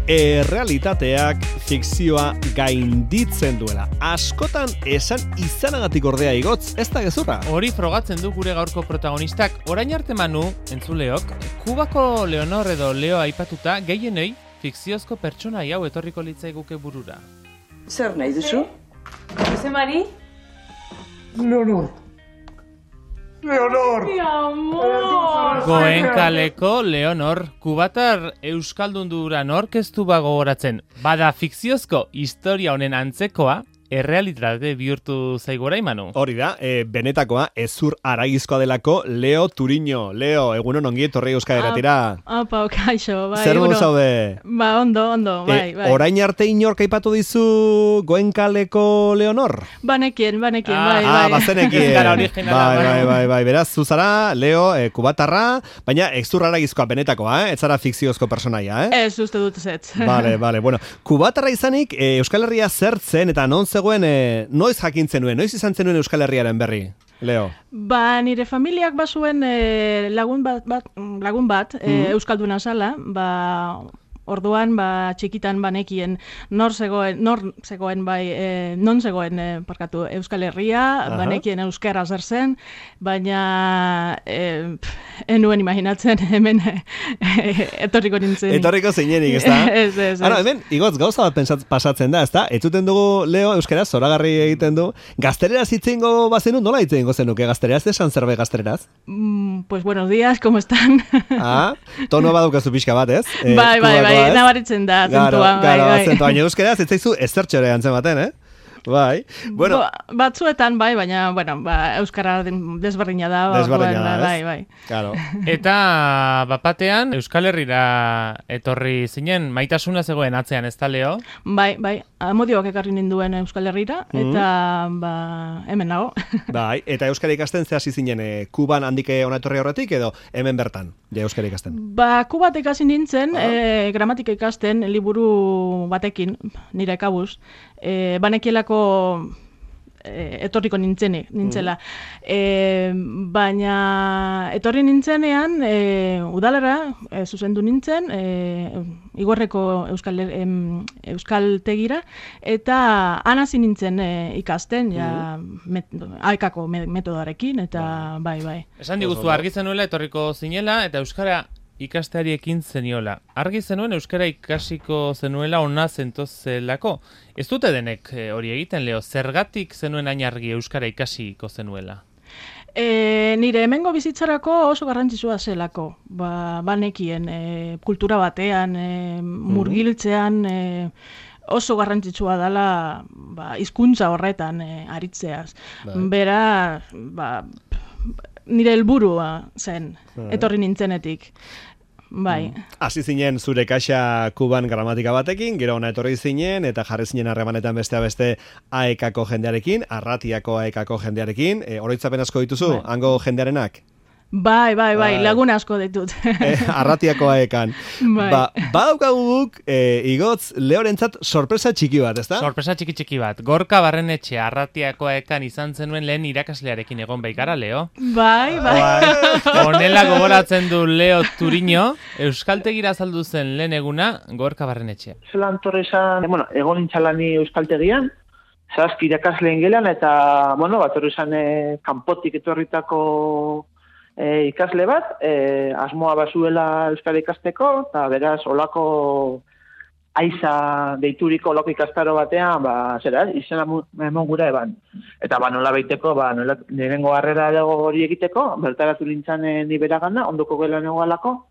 Errealitateak fikzioa gainditzen duela. Askotan esan izanagatik ordea igotz, ez da gezurra. Hori frogatzen du gure gaurko protagonistak. Orain arte Manu, entzuleok, Kubako Leonor edo Leo aipatuta gehienei fikziozko pertsona hau etorriko litzaiguke burura. Zer nahi duzu? Jose Mari? Leonor. Mi amor! Goenkaleko Leonor, kubatar euskaldundura norkeztu gogoratzen. Bada fikziozko historia honen antzekoa, errealitate bihurtu zaigu orain, Manu. Hori da, benetakoa, ezur aragizkoa delako Leo Turiño. Leo, egunon ongi etorri Euskal Herriatira. Apa, kaixo, bai. Zer modu zaude? Ba, ondo, bai. Orain arte inork aipatu dizu Goenkaleko Leonor? Banekien, bai. Bazenekien. Ez gara originala. Bai. Beraz, zuzara, Leo, kubatarra, baina ezur aragizkoa benetakoa, ez zara fikziozko personaia, Ez uste dut ez. Vale. Bueno, kubatarra izanik, Euskal Herria zertzen eta non zegoen, noiz jakintzen nuen, noiz izan zenuen Euskal Herriaren berri, Leo? Ba, nire familiak bazuen lagun bat euskalduna zala, ba, orduan, ba, txikitan banekien non zegoen Euskal Herria, banekien euskara zer zen, baina enuen imaginatzen hemen etorriko nintzen. Etorriko zeinenik, ez da? Ez. Ara, hemen, igotz, gauza bat pasatzen da, ez da? Etuten dugu, Leo, euskaraz, zoragarri egiten du. Gaztereraz hitzeingo bazenu, nola hitzeingo zenuke gaztereraz? Esan zerbait gaztereraz? Pues buenos días, ¿cómo están? Tono badukazu pixka bat, ez? Bai, nabaritzen da, zentua. Bai. Baina euskaraz, ez zaizu ezertxore antzen baten, Bai. Bueno, batzuetan bai, baina euskara desberdina da. Desberdina da, bai. Claro. Eta bapatean Euskal Herrira etorri zinen, maitasuna zegoen atzean, ez da, Leo? Bai. Amodioak ekarri ninduen Euskal Herrira, eta hemen nago. Bai, eta euskara ikasten ze hasi zinen, Kuban handik ona etorri horretik edo hemen bertan, euskara ikasten? Ba, Kubat ikasi nintzen, gramatika ikasten liburu batekin, nire kabuz, banekielako etorriko nintzela. Baina etorri nintzenean, udalera zuzendu nintzen, Igorreko euskaltegira, eta hasi nintzen ikasten, AEKako metodoarekin, eta bai. Esan diguzu, argi zenuela etorriko zinela, eta euskara ikasteari ekin zeniola. Argi zenuen euskara ikasiko zenuela ona zentozelako. Ez dute denek hori egiten, Leo, zergatik zenuen hain argi euskara ikasiko zenuela? Nire hemengo bizitzarako oso garrantzitsua zelako. Banekien kultura batean, murgiltzean, oso garrantzitsua dela hizkuntza horretan aritzeaz. Bera, nire helburua zen, etorri nintzenetik. Bai. Hasi zinen zure kaxa Kuban gramatika batekin, gero ona etorri zinen, eta jarri zinen harremanetan beste AEKako jendearekin, Arratiako AEKako jendearekin. Oroitzapen asko dituzu, hango jendearenak? Bai, lagun asko ditut. Arratiako AEKan. Badaukaguk, igotz, Leorentzat sorpresa txiki bat, ezta? Sorpresa txiki bat. Gorka Barrenetxe Arratiako AEKan izan zenuen lehen irakaslearekin egon baikara, Leo? Bai. Honela gogoratzen du Leo Turiño, euskaltegira azaldu zen lehen eguna Gorka Barrenetxe. Zelan torre izan, egon nintxalani euskaltegian, zazpi irakasleen gelan, eta, torre izan kanpotik etorritako ikasle bat, asmoa bazuela euskara ikasteko, eta beraz, olako aiza deituriko olako ikastaro batean, izena emon gura eban. Eta nola baiteko, nirengo harrera hori egiteko, bertaratu nintzen ni beragana, ondoko gelan egoalako,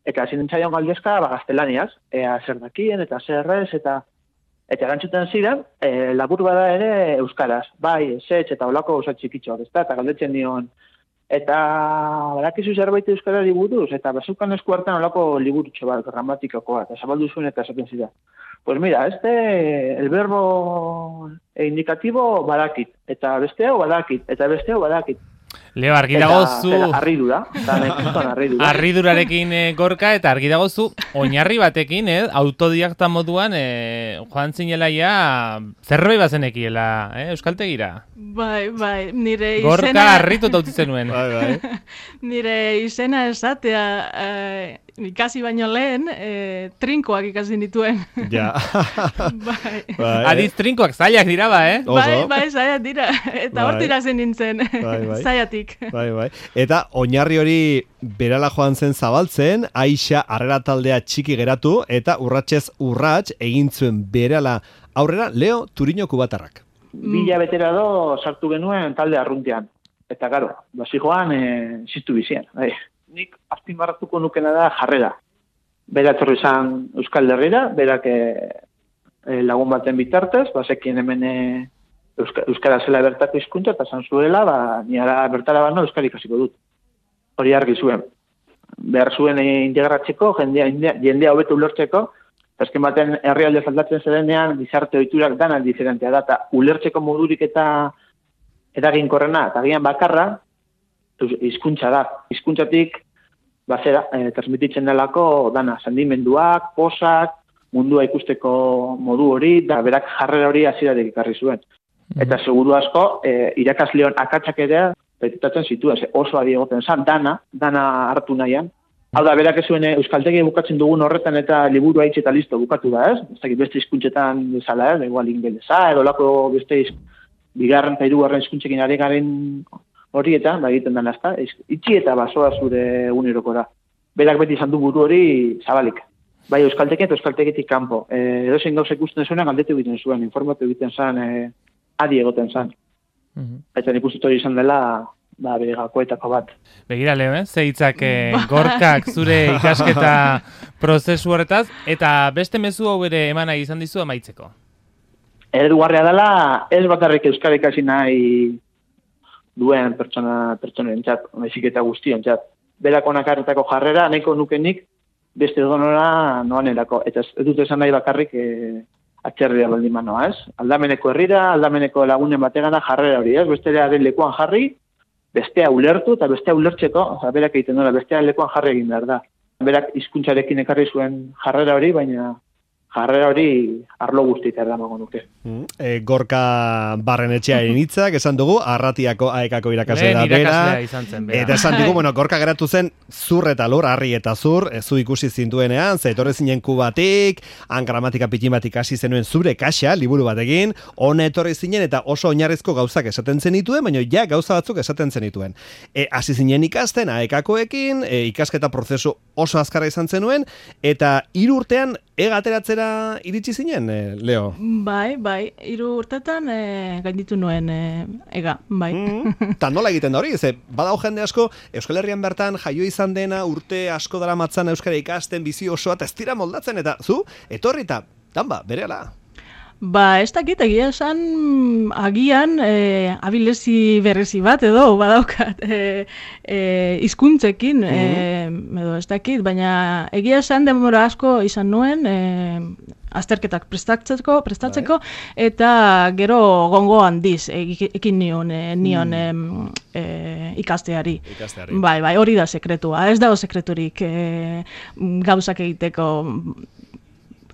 eta hasi nintzaion galdezka gaztelaniaz, zer dakien, eta zer ez, eta erantzuten ziren, labur bada ere euskaraz, bai, zetx, eta olako gauza txikitxoak, eta galdetzen nion, eta badakizu zerbait euskarari buruz, eta bazukan esku hartan olako liburutxo bat, gramatikakoa, eta zabaldu zuen eta esaten zira. Pues mira, el verbo indicativo badakit, eta beste hau badakit, eta beste hau badakit. Leo, argi dagozu... Arridura. Arridurarekin Gorka, eta argi dagozu oinarri batekin, autodidakta moduan joan zinelaia zerbait bazenekiela, euskaltegira. Bai, nire izena... Gorka harritu tautitzen nuen. Bai. Nire izena esatea ikasi baino lehen, trinkoak ikasi nituen. Ja. Bai. Adiz trinkoak zailak dira ba, Bai, zailak dira. Eta hortik hasi nintzen, zailatik. Bai. Eta oinarri hori berala joan zen zabaltzen, Aixa harrera taldea txiki geratu, eta urratsez urrats egin zuen berala aurrera Leo Turiño kubatarrak. 2000 betera do sartu genuen talde arruntean. Eta garo, basi joan, ziztu bizian. Nik azpimarratuko nukena da jarrera. Bera etorri izan Euskal Herrira, berak lagun baten bitartez, basekien hemen Euskara zela bertako hizkuntza eta zan zuela, ni ara bertara bano Euskara ikasiko dut. Hori argi zuen. Behar zuen integratzeko, jendea hobeto ulertzeko, azken baten herrialde aldatzen zerenean, gizarte ohiturak dana diferentea da, eta ulertzeko modurik eta eraginkorrena, eta gian bakarra, hizkuntza da. Hizkuntzatik transmititzen delako dana, sendimenduak, posak, mundua ikusteko modu hori, da berak jarrera hori hasieratik ekarri zuen. Eta seguru asko, irakasleon akatsak ere petitatzen zituen, oso adi egoten zan, dana hartu nahian. Hau da, berak ez zuen euskaltegi bukatzen dugun horretan eta liburu haitz eta listo bukatu da, ez? Ez dakit beste hizkuntzetan bezala, ez? Igual ingelesa, edo lako beste bigarren eta hirugarren hizkuntzekin ari garen horietan, egiten dena, ezta? Itxi eta basoa zure egunerokora. Berak beti izan du buru hori zabalik. Bai euskaltekin eta euskaltegitik kanpo. Edozein gauza ikusten zuenak galdetu egiten zuen, informatu egiten zen, adi egoten zen. Eta nik uste hori izan dela, bere gakoetako bat. Begira, Leo, ze hitzak Gorkak zure ikasketa prozesu horretaz, eta beste mezu hau ere emana izan dizu amaitzeko. Eredugarria dela, ez bakarrik euskara ikasi nahi duen pertsonentzat, baizik eta guztiontzat. Berak onakarretako jarrera, nahiko nukenik, beste donora noanerako. Eta ez dut esan nahi bakarrik atxerria baldin manoa, ez? Aldameneko herrira, aldameneko lagunen bategana jarrera hori, ez? Bestearen lekuan jarri, bestea ulertu, eta bestea ulertzeko, berak egiten dola, bestearen lekuan jarri egin behar da. Berak hizkuntzarekin ekarri zuen jarrera hori, baina jarrera hori arlo guztieta erdamango nuke. Gorka Barrenetxearen hitzak esan dugu, Arratiako AEKako irakasle da bera. Eta esan dugu, Gorka geratu zen zur eta lur, harri eta zur, zu ikusi zintuenean, ze etorri zinen Kubatik, han gramatika pitin bat ikasi zenuen zure kaxa, liburu batekin, hona etorri zinen eta oso oinarrizko gauzak esaten zenituen, baina ja gauza batzuk esaten zenituen. Hasi zinen ikasten AEKakoekin, ikasketa prozesu oso azkarra izan zenuen, eta 3 urtean egateratzera iritsi zinen, Leo? Bai, 3 urtetan gainditu nuen ega, bai. Ta nola egiten da hori? Ze, badao jende asko, Euskal Herrian bertan jaio izan dena, urte asko dara matzan euskara ikasten, bizi osoa, eta ez dira moldatzen, eta zu, etorri eta, berehala. Ez dakit, egia esan, agian abilezi berrezi bat edo badaukat hizkuntzekin, edo ez dakit, baina egia esan denbora asko izan nuen azterketak prestatzeko eta gero gongo handiz ekin nion ikasteari. Bai, hori da sekretua, ez dago sekreturik gauzak egiteko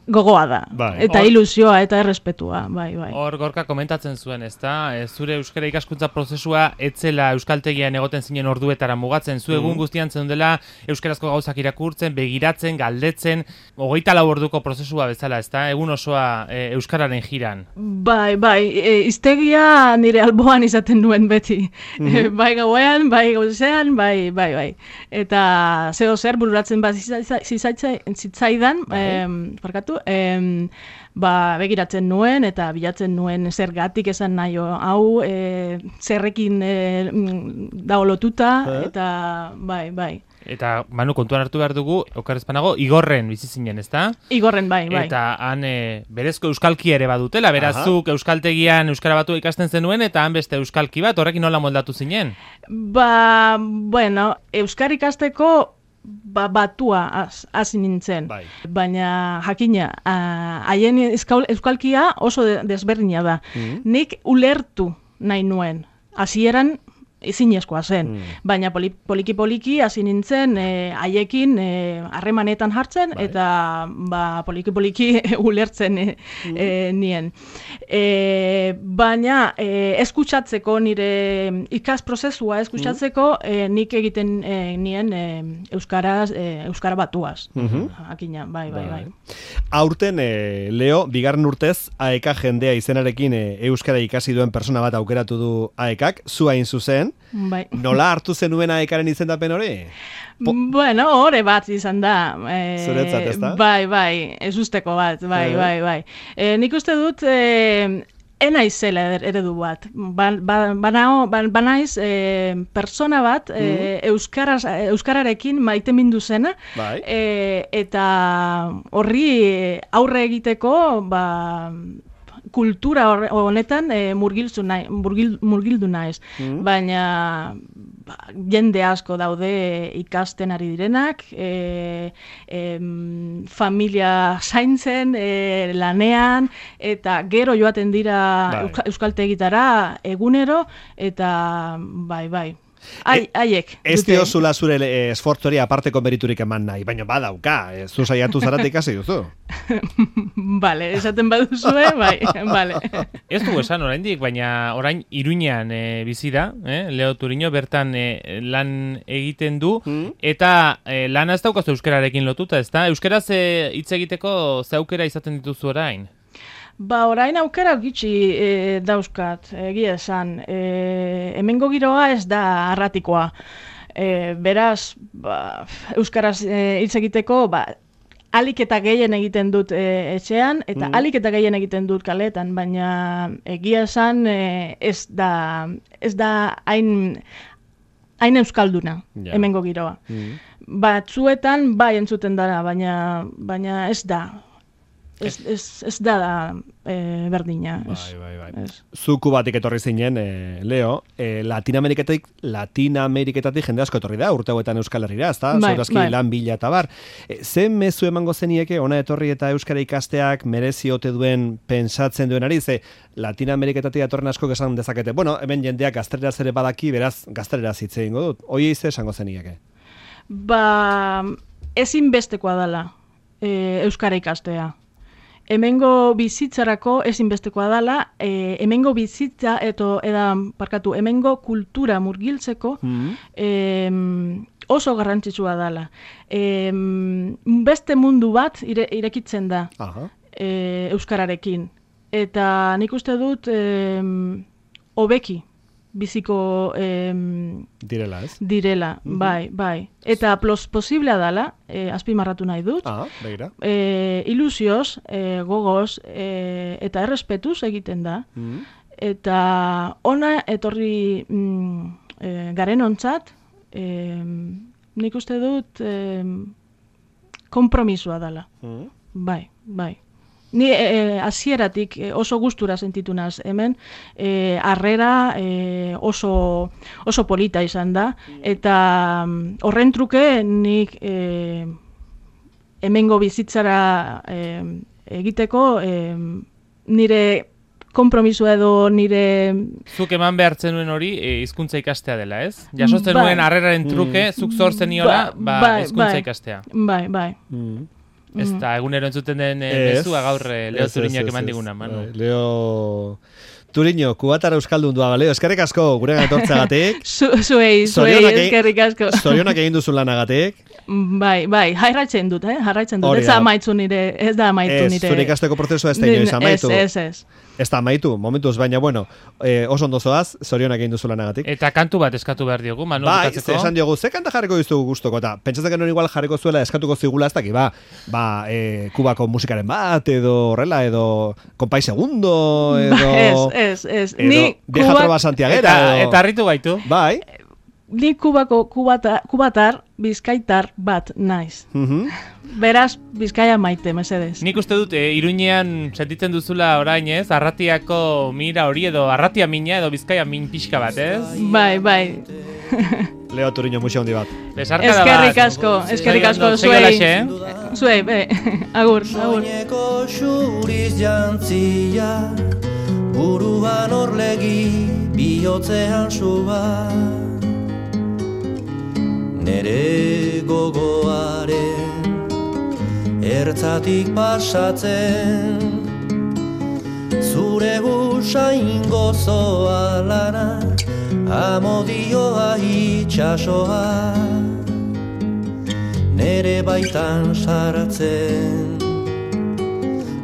gogoa da, eta ilusioa eta errespetua, bai. Hor Gorka komentatzen zuen, ezta? Zure euskara ikaskuntza prozesua etzela euskaltegian egoten zinen orduetara mugatzen, zu egun guztian zeundela euskarazko gauzak irakurtzen, begiratzen, galdetzen, 24 orduko prozesua bezala, ezta? Egun osoa euskararen jiran. Bai, hiztegia nire alboan izaten duen beti. Bai gauean, bai gauzean, bai. Eta zeo zer bururatzen bat zitzaidan, parkatu, begiratzen nuen eta bilatzen nuen zergatik esan nahi hau zerrekin dago lotuta eta bai. Eta, Manu, kontuan hartu behar dugu, okarrezpanago, Igorren bizi zinen, ezta? Igorren, bai. Eta han berezko euskalki ere badutela, berazuk euskaltegian euskara batu ikasten zenuen, eta han beste euskalki bat, horrekin nola moldatu zinen? Euskara ikasteko batua hasi nintzen. Baina jakina, haien euskalkia oso desberdina da. Nik ulertu nahi nuen. Hasieran ezinezkoa zen. Baina poliki hasi nintzen haiekin harremanetan jartzen eta poliki ulertzen nien. Baina eskutsatzeko nire ikas prozesua eskutsatzeko nik egiten nien euskara batuaz. Akina, bai. Aurten, Leo, bigarren urtez, AEK jendea izenarekin euskara ikasi duen persona bat aukeratu du AEKak, zu hain zuzen. Bai. Nola hartu zenuen AEKaren izendapen hori? Bueno, hori bat izan da. Zuretzat, ez da? Bai, ez usteko bat, bai. Nik uste dut, enaizela eredu bat. Banaiz persona bat euskararekin maite mindu zena, bai. Eta horri aurre egiteko, kultura honetan murgildu naiz. Baina jende asko daude ikasten ari direnak, familia zaintzen, lanean, eta gero joaten dira euskaltegitara egunero, eta bai. Haiek. Ez diozula zure esfortzori aparteko meriturik eman nahi, baina badauka, zu saiatu zaratik ikasi duzu. Bale, esaten baduzue, bai, bale. Ez du esan oraindik, baina orain Iruñean bizi da, Leo Turiño, bertan lan egiten du, eta lana ez daukazu euskararekin lotuta, ez da? Euskaraz hitz egiteko ze aukera izaten dituzu orain? Orain aukera gitxi dauzkat, egia esan. Hemengo giroa ez da arratikoa. Beraz, euskaraz hitz egiteko, alik eta gehien egiten dut etxean, eta alik eta gehien egiten dut kaletan, baina egia esan ez da hain euskalduna, hemengo giroa. Batzuetan bai entzuten dara, baina ez da. Ez da berdina. Bai. Zuku batik etorri zinen, Leo, Latinameriketatik jende asko etorri da, urte hauetan Euskal Herrira, ez da? Zorazki lan bila eta bar. Zen mezu emango zenieke, ona etorri eta euskara ikasteak merezi ote duen pentsatzen duenari, ze Latinameriketatik etorren asko esan dezakete. Bueno, hemen jendeak gazteleraz ere badaki, beraz gazteleraz hitz egingo dut. Hoi ze esango zenieke? Ezinbestekoa dela euskara ikastea. Hemengo bizitzarako ezinbestekoa dela, hemengo bizitza hemengo kultura murgiltzeko oso garrantzitsua dela. Beste mundu bat irekitzen da euskararekin. Eta nik uste dut hobeki biziko direla, ez? Direla, bai. Eta posiblea dela, azpimarratu nahi dut, ilusioz, gogoz, eta errespetuz egiten da. Eta ona etorri garen ontzat, nik uste dut konpromisua dela. Bai. Ni hasieratik oso gustura sentitu naz hemen, harrera oso polita izan da, eta horren truke nik hemengo bizitzara egiteko nire konpromisua edo nire... Zuk eman behartzen nuen hori hizkuntza ikastea dela, ez? Jasotzen nuen harreraren truke, zuk zortzen niola, hizkuntza ikastea. Bai. Ez da, egunero entzuten den bezua gaur Leo Turiñok eman diguna, Manu. Leo Turiño, kubatara euskaldun dua, Leo, eskerrik asko guregan etortzagatik. Zuei, eskerrik asko. Zorionak egin duzun lanagatik. Bai, jarraitzen dut, ez da amaitu nire. Zure ikasteko prozesua ez da inoiz amaitu. Ez. Ez da amaitu, momentuz, baina bueno, oso ondo zoaz, zorionak egin duzu lanagatik. Eta kantu bat eskatu behar diogu, Manu, bukatzeko? Esan diogu, ze kanta jarriko diztugu gustoko, eta pentsatzen genuen igual jarriko zuela eskatuko zigula ez daki, kubako musikaren bat, edo horrela, edo Konpai Segundo, edo... Ez. Vieja Trova Santiaguera, eta harritu gaitu. Bai. Ni kubako kubatar, bizkaitar bat naiz. Beraz, Bizkaia maite, mesedez. Nik uste dut, Iruñean sentitzen duzula orain, ez? Arratiako mira hori edo arratia mina edo Bizkaia min pixka bat, ez? Bai. Leo Turiño, muxo handi bat. Besarkada bat. Eskerrik asko, zuei, agur. Soineko xuriz jantzia, buruan orlegi, bihotzean suba. Nere gogoaren ertzatik pasatzen, zure usain gozoa lana, amodioa itxasoa, nere baitan saratzen.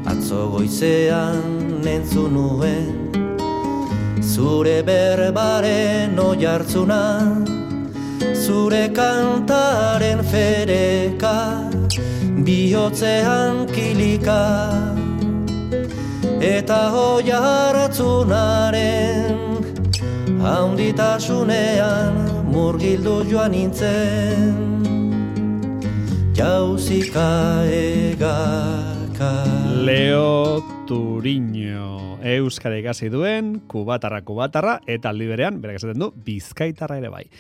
Atzo goizean entzun nuen, zure berbaren oihartzuna, zure kantaren fereka, bihotzean kilika, eta oihartzunaren haunditasunean murgildu joan nintzen, jauzika egaka. Leo Turiño, euskara ikasi duen, kubatarra, eta aldi berean, berak esaten du, bizkaitarra ere bai.